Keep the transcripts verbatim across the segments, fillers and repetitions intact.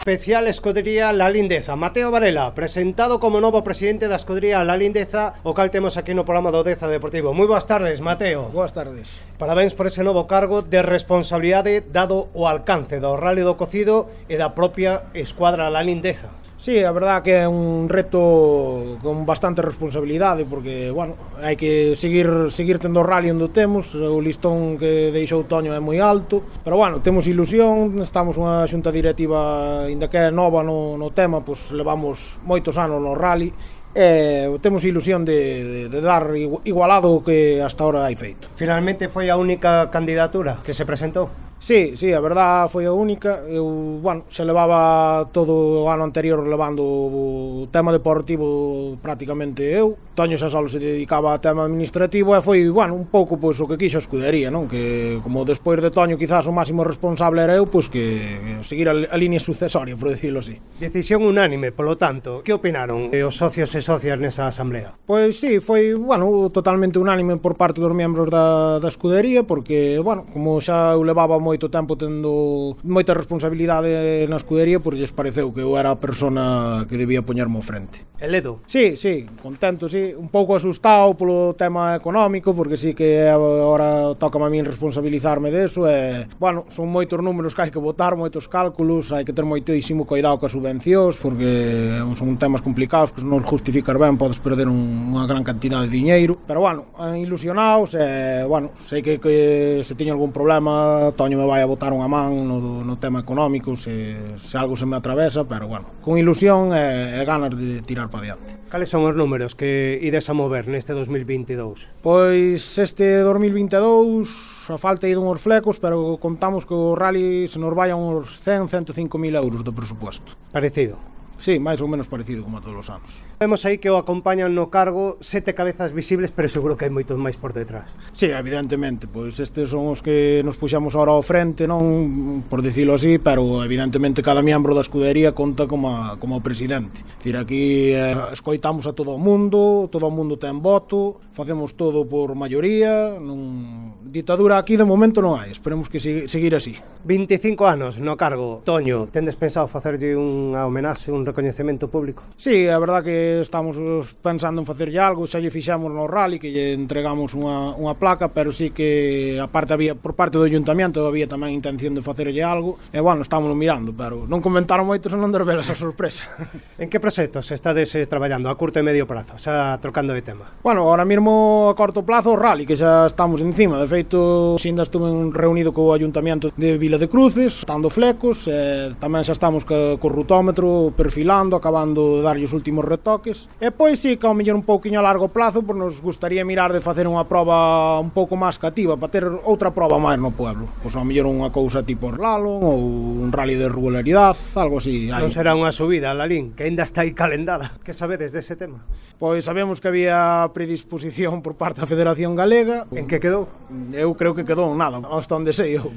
especial Escudería La Lindeza. Mateo Varela, presentado como novo presidente da Escudería La Lindeza, o cal temos aquí no programa do Deza Deportivo. Moi boas tardes, Mateo. Boas tardes. Parabéns por ese novo cargo de responsabilidade dado o alcance do Rally do Cocido e da propia Escuadra La Lindeza. Sí, a verdad que é un reto con bastante responsabilidade porque, bueno, hai que seguir seguir tendo o rally onde temos, o listón que deixou Toño é moi alto, pero bueno, temos ilusión, estamos unha xunta directiva ainda que é nova no, no tema, pois levamos moitos anos no rally e temos ilusión de, de, de dar igualado o que hasta ahora hai feito. Finalmente foi a única candidatura que se presentou? Sí, sí, a verdad foi a única. Eu, bueno, se levaba todo o ano anterior levando o tema deportivo prácticamente eu. Toño xa só se dedicaba ao tema administrativo e foi, bueno, un pouco pois o que quixo a escudería, non? Que como despois de Toño quizás o máximo responsable era eu, pois que seguir a, a línea sucesoria, por decirlo así. Decisión unánime, polo tanto, que opinaron os socios e socias nesa asamblea? Pois sí, foi, bueno, totalmente unánime por parte dos membros da, da escudería, porque, bueno, como xa eu levaba moito tempo tendo moita responsabilidade na escudería, pois lles pareceu que eu era a persona que debía poñerme ao frente. El Edo? Sí, sí, contento, sí, un pouco asustado polo tema económico, porque sí que agora toca a min responsabilizarme deso e, bueno, son moitos números que hai que botar, moitos cálculos, hai que ter moitísimo cuidado coas subvencións, porque son temas complicados que se non justificar ben podes perder un, unha gran cantidad de diñeiro, pero, bueno, ilusionados e, bueno, sei que, que se teño algún problema, Toño me vai a botar unha man no, no tema económico se, se algo se me atravesa, pero, bueno, con ilusión e, e ganas de tirar para diante. Cales son os números que ides a mover neste dos mil vinte e dous? Pois este dos mil vinte e dous a falta de uns flecos, pero contamos que o rally se nos vai a uns cen, ciento cinco mil euros de presupuesto. Parecido? Sí, máis ou menos parecido como a todos os anos. Vemos aí que o acompañan no cargo sete cabezas visibles, pero seguro que hai moitos máis por detrás. Sí, evidentemente, pois estes son os que nos puxamos ahora ao frente, non por dicilo así, pero evidentemente cada membro da escudería conta como a, como o presidente. É dicir, aquí eh, escoitamos a todo o mundo, todo o mundo ten voto, facemos todo por maioría, non... ditadura aquí de momento non hai, esperemos que sig- seguir así. veinticinco anos no cargo, Toño, tendes pensado facerlle unha homenaxe, un recoñecemento público? Sí, a verdad que estamos pensando en facerlle algo, xa lle fixamos no rally que lle entregamos unha, unha placa, pero sí que aparte había por parte do ayuntamiento había tamén intención de facerlle algo e bueno, estamos mirando, pero non comentaron moito senón de revelas a sorpresa. En que proxectos estades eh, traballando a curto e medio prazo, xa trocando de tema? Bueno, ahora mesmo a corto plazo o rally, que xa estamos encima, de feito xinda estuve reunido co ayuntamiento de Vila de Cruces, estando flecos, e tamén xa estamos co, co rutómetro perfilando, acabando de darlle os últimos retoques. E pois sí, que ao mellor un pouquiño a largo plazo, pois nos gustaría mirar de facer unha proba un pouco máis cativa, para ter outra proba máis no pueblo. Pois ao mellor unha cousa tipo Orlalo, ou un rally de regularidade, algo así. Non será unha subida, Lalín, que ainda está aí calendada. Que sabedes dese tema? Pois sabemos que había predisposición por parte da Federación Galega. En que quedou? Eu creo que quedou nada, hasta onde sei eu.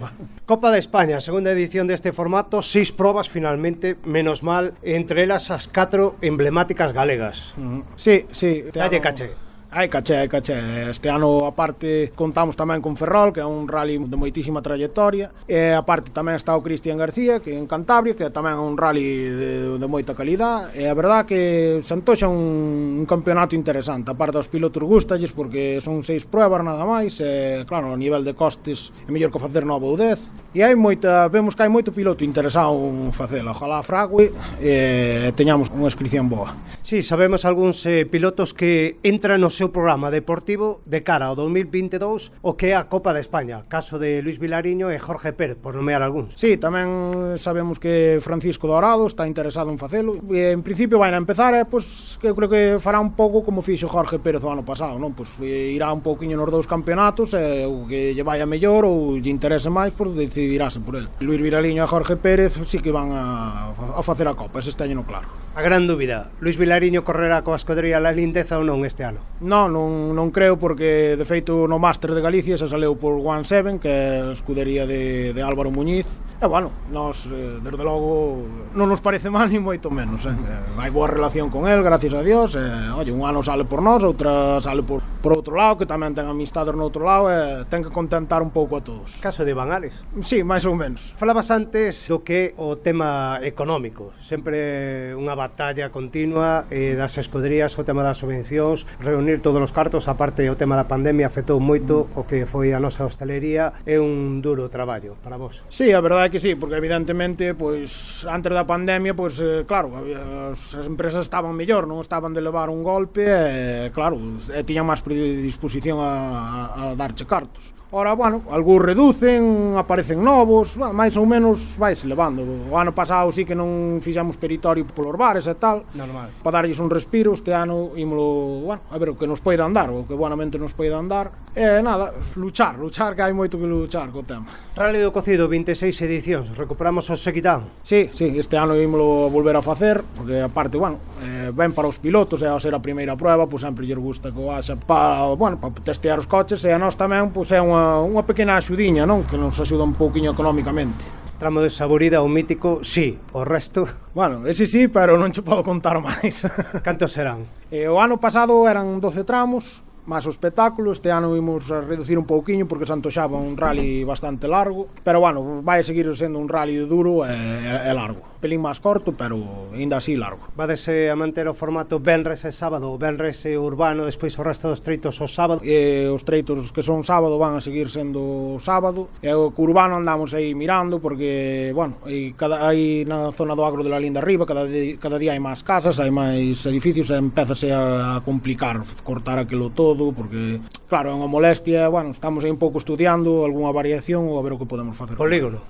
Copa de España, segunda edición deste formato, seis probas finalmente, menos mal, entre elas as catro emblemáticas galegas. Uh-huh. Sí, sí. Dalle caché. Hai caché, hai caché. Este ano, aparte, contamos tamén con Ferrol, que é un rally de moitísima trayectoria. E, aparte, tamén está o Cristian García, que é en Cantabria, que tamén é un rally de, de moita calidad. E a verdad que se antoxa un, un campeonato interesante. Aparte, os pilotos gustalles, porque son seis pruebas nada máis. E, claro, a nivel de costes, é mellor que facer nove ou dez. E hai moita, vemos que hai moito piloto interesado en facela. Ojalá frague e teñamos unha inscripción boa. Sí, sabemos algúns eh, pilotos que entran no seu programa deportivo de cara ao dos mil vinte e dous, o que é a Copa de España, caso de Luis Vilariño e Jorge Pérez, por nomear algúns. Sí, tamén sabemos que Francisco Dorado está interesado en facelo, e en principio vai a empezar, e, pois, que eu creo que fará un pouco como fixo Jorge Pérez o ano pasado, non? Pois irá un pouquiño nos dous campeonatos, e o que lle vai a mellor ou lle interese máis, pois decidirase por el. Luis Vilariño e Jorge Pérez sí que van a, a facer a Copa, ese teño no claro. A gran dúbida, Luis Vilariño correrá coa escudería La Lindeza ou non este ano? Non, non, non creo, porque de feito no Máster de Galicia se saleu por One Seven, que é a escudería de, de Álvaro Muñiz. E bueno, nós, desde logo, non nos parece mal ni moito menos, eh. Hai boa relación con el, gracias a Dios, e, oye, un ano sale por nós, outra sale por, por outro lado, que tamén ten amistades no outro lado e ten que contentar un pouco a todos. Caso de Iván Ares. Sí, máis ou menos. Falabas antes do que o tema económico, sempre unha batalla continua eh, das escuderías, o tema das subvencións, reunir todos os cartos, aparte o tema da pandemia afectou moito o que foi a nosa hostelería, é un duro traballo para vos. Sí, a verdade é que sí, porque evidentemente, pois, antes da pandemia, pois, eh, claro, as empresas estaban mellor, non estaban de levar un golpe e, claro, e tiñan máis predisposición a, a, a darche cartos. Ora, bueno, algúns reducen, aparecen novos, máis ou menos vaise levando. O ano pasado sí que non fixamos peritorio polos bares e tal. Normal. Para darlles un respiro, este ano ímolo, bueno, a ver o que nos poida andar, o que buenamente nos poida andar. E nada, luchar, luchar, que hai moito que luchar co tema. Rally do Cocido, vinte e seis edicións, recuperamos o Sequitán. Sí, sí, este ano ímolo volver a facer, porque aparte, bueno, eh, ben para os pilotos, e ao ser a primeira prueba, pois sempre lles gusta que o haxa para, bueno, para testear os coches, e a nós tamén, pois é unha unha pequena axudiña, non? Que nos axuda un pouquiño económicamente. Tramo de Saborida, o mítico, sí, o resto... Bueno, ese sí, pero non che podo contar máis. Cantos serán? E o ano pasado eran doce tramos, máis o espectáculo. Este ano vimos a reducir un pouquiño porque se antoxaba un rally bastante largo, pero bueno, vai seguir sendo un rally duro e, e largo. Pelín máis corto, pero ainda así largo. Vadese a manter o formato Benres e sábado, Benres e urbano, despois o resto dos treitos o sábado? E os treitos que son sábado van a seguir sendo sábado, e o urbano andamos aí mirando porque, bueno, aí, cada, aí na zona do agro de la Linda arriba cada, di, cada día hai máis casas, hai máis edificios e empezase a, a complicar cortar aquilo todo, porque claro, é unha molestia. Bueno, estamos aí un pouco estudiando algunha variación ou a ver o que podemos facer. Polígono?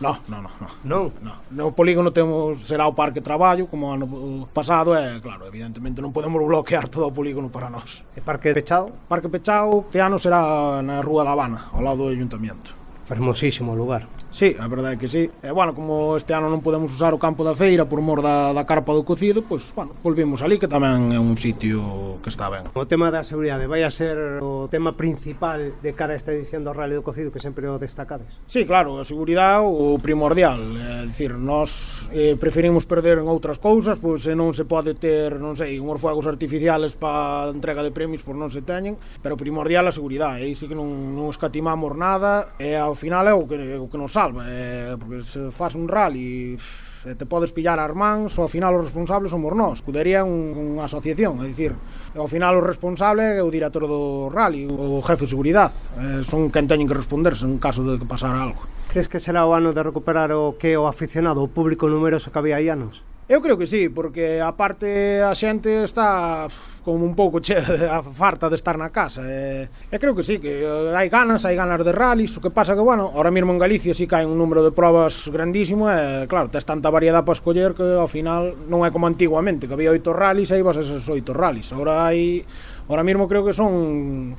No, no, no, no. Non? No. No polígono temos, será o parque de traballo, como ano pasado, e claro, evidentemente non podemos bloquear todo o polígono para nós. E parque pechado? Parque pechado, este ano será na Rúa da Habana, ao lado do Ayuntamiento. Fermosísimo lugar. Sí, a verdade é que sí. E, bueno, como este ano non podemos usar o campo da feira por mor da, da carpa do Cocido, pois, bueno, volvimos ali, que tamén é un sitio que está ben. O tema da seguridade vai a ser o tema principal de cara a esta edición do Rally do Cocido, que sempre o destacades? Sí, claro, a seguridade o primordial. É dicir, nós eh, preferimos perder en outras cousas, pois se non se pode ter, non sei, unhos fuegos artificiales para entrega de premios, pois non se teñen, pero primordial a seguridade. Aí sí que non, non escatimamos nada, e ao final é o que, o que nos salva, eh, porque se faz un rally e te podes pillar as mans, ao final os responsables somos nós. Escudería un, unha asociación, é dicir, ao final o responsable é o director do rally, o jefe de seguridade, eh, son quen teñen que responderse en caso de que pasara algo. Crees que será o ano de recuperar o que o aficionado, o público numeroso que había aí anos? Eu creo que sí, porque aparte a xente está como un pouco che a farta de estar na casa, e, e creo que sí, que hai ganas, hai ganas de rallies. O que pasa que, bueno, ahora mesmo en Galicia sí que hai un número de probas grandísimo, e claro, tes tanta variedade para escoller que ao final non é como antiguamente, que había oito rallies e ibas a esos oito rallies. Ahora hai, ahora mesmo creo que son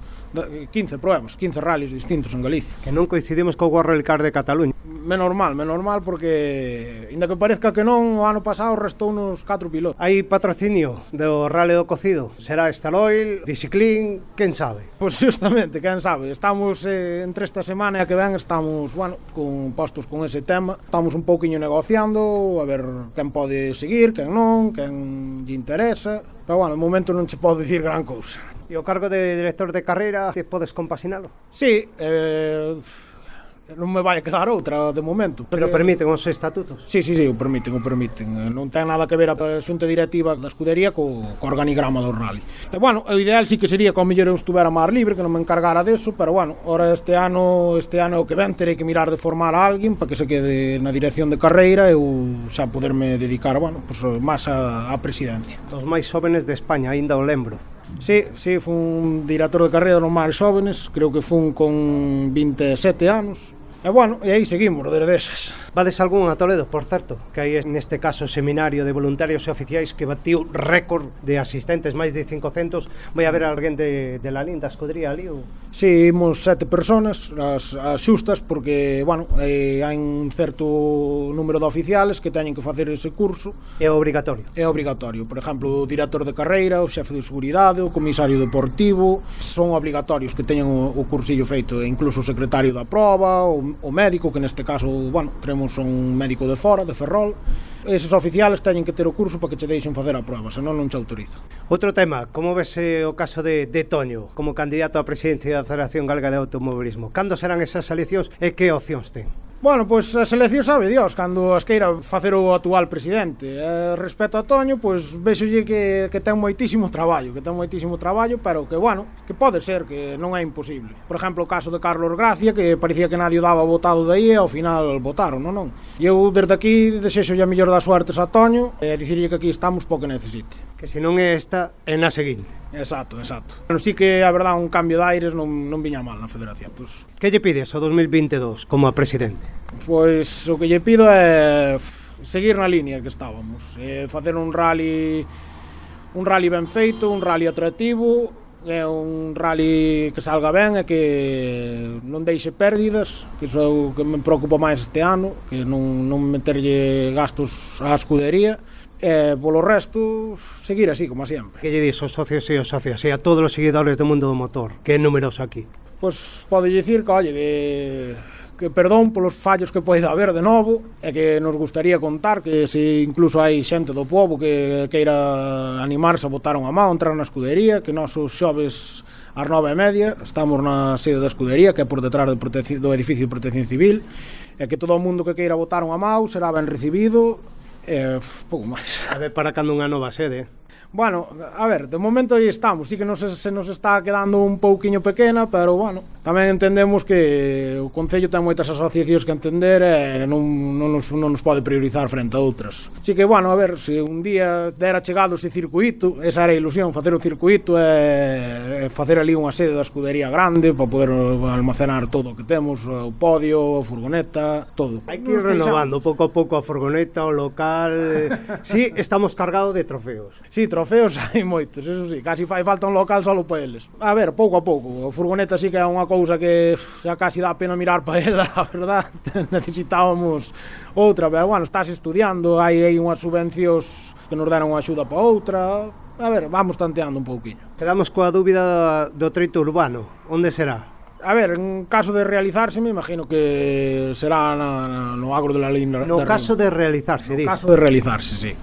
quince pruebas, quince rallies distintos en Galicia. Que non coincidimos co World Rally Car de Cataluña. Menos mal, menos mal, porque inda que parezca que non, o ano pasado restou uns catro pilotos. Hai patrocinio do Rally do Cocido? Será Staloil, Diciclin, quen sabe? Pois justamente, quen sabe. Estamos eh, entre esta semana e a que ven estamos, bueno, con postos con ese tema. Estamos un pouquiño negociando, a ver quen pode seguir, quen non, quen lle interesa. Pero, bueno, no momento non che podo dicir gran cousa. E o cargo de director de carreira, que podes compasinalo? Sí, eh... non me vai a quedar outra de momento. Pero permiten os estatutos? Sí, sí, sí, o permiten, o permiten. Non ten nada que ver a xunta directiva da escudería co, co organigrama do rally. E, bueno, o ideal sí que sería que ao mellor eu estuvera máis libre, que non me encargara deso, pero, bueno, ahora este ano, este ano o que ven, terei que mirar de formar a alguén para que se quede na dirección de carreira e eu xa poderme dedicar, bueno, pues, máis a, a presidencia. Os máis jóvenes de España, aínda o lembro. Sí, sí, fun director de carreira dos máis jóvenes, creo que fun con vinte e sete anos. E, bueno, e aí seguimos, desde esas. Vades algún a Toledo, por certo, que hai neste caso seminario de voluntarios e oficiais que batiu récord de asistentes, máis de cincocentos. Vai haber alguén de, de la Linda escudería ali? Ou? Sí, imos sete personas, as, as xustas, porque, bueno, eh, hai un certo número de oficiales que teñen que facer ese curso. É obrigatorio? É obrigatorio. Por exemplo, o director de carreira, o xefe de seguridade, o comisario deportivo, son obligatorios que teñan o, o cursillo feito, e incluso o secretario da proba, o o médico, que neste caso, bueno, teremos un médico de fora, de Ferrol. Eses oficiales teñen que ter o curso para que che deixen facer a prova, senón non che autoriza. Outro tema, como vese o caso de, de Toño como candidato á presidencia da Federación Galega de Automobilismo? Cando serán esas eleccións e que opcións ten? Bueno, pois as eleccións sabe Dios, cando as queira facer o actual presidente. Eh, respecto a Toño, pois vexolle que, que ten moitísimo traballo, que ten moitísimo traballo, pero que, bueno, que pode ser, que non é imposible. Por exemplo, o caso de Carlos Gracia, que parecía que nadie o daba votado de aí e ao final votaron, non, non. E eu desde aquí desexolle a mellor das suertes a Toño e dicirlle que aquí estamos po que necesite. Que se non é esta, é na seguinte. Exacto, exacto. Pero sí que, a verdade, un cambio de aires non, non viña mal na federación. Pues, que lle pides ao dos mil vinte e dous como a presidente? Pois o que lle pido é seguir na línea que estábamos, é facer un rally un rally ben feito, un rally atractivo, é un rally que salga ben e que non deixe pérdidas, que iso é o que me preocupa máis este ano, que non, non meterlle gastos á escudería. E polo resto, seguir así, como sempre. Que lle dis aos socios e aos socias e a todos os seguidores do mundo do motor, que é numeroso aquí? Pois pode dicir que, oye, que, que perdón polos fallos que poida haber de novo e que nos gustaría contar que se incluso hai xente do povo que queira animarse a botar unha mão, entrar na escudería, que nós os xoves ás nove e media estamos na sede da escudería, que é por detrás do, do edificio de Protección Civil, e que todo o mundo que queira botar unha mão será ben recibido. Eh, pouco máis. A ver, para cando unha nova sede? Bueno, a ver, de momento aí estamos, sí que nos, se nos está quedando un pouquiño pequena, pero bueno, tamén entendemos que o Concello ten moitas asociacións que entender e non, non, nos, non nos pode priorizar frente a outras. Así que, bueno, a ver, se un día dera chegado ese circuito, esa era a ilusión, facer o circuito e, e facer ali unha sede da escudería grande para poder almacenar todo o que temos, o podio, a furgoneta, todo. Hai que ir renovando pouco a pouco a furgoneta, o local. Sí, estamos cargados de trofeos. Sí, trofeos hai moitos, eso sí, casi fai falta un local solo para eles. A ver, pouco a pouco, a furgoneta sí que é unha cousa que xa casi dá pena mirar para ela, a verdad, necesitábamos outra, pero bueno, estás estudiando, hai aí unhas subvencións que nos deran unha axuda para outra, a ver, vamos tanteando un pouquiño. Quedamos coa dúbida do treito urbano, onde será? A ver, en caso de realizarse, me imagino que será na, na, no agro de la Linda. No caso de realizarse, No caso de realizarse, sí.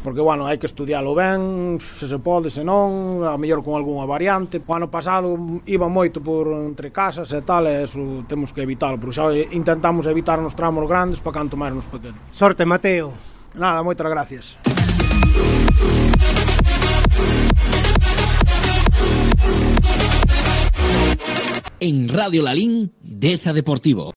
Porque, bueno, hai que estudialo ben, se se pode, se non, a mellor con algunha variante. O ano pasado iba moito por entre casas e tal, e eso temos que evitalo, porque xa intentamos evitar nos tramos grandes para canto máis nos pequenos. Sorte, Mateo. Nada, moitas gracias. En Radio Lalín, Deza Deportivo.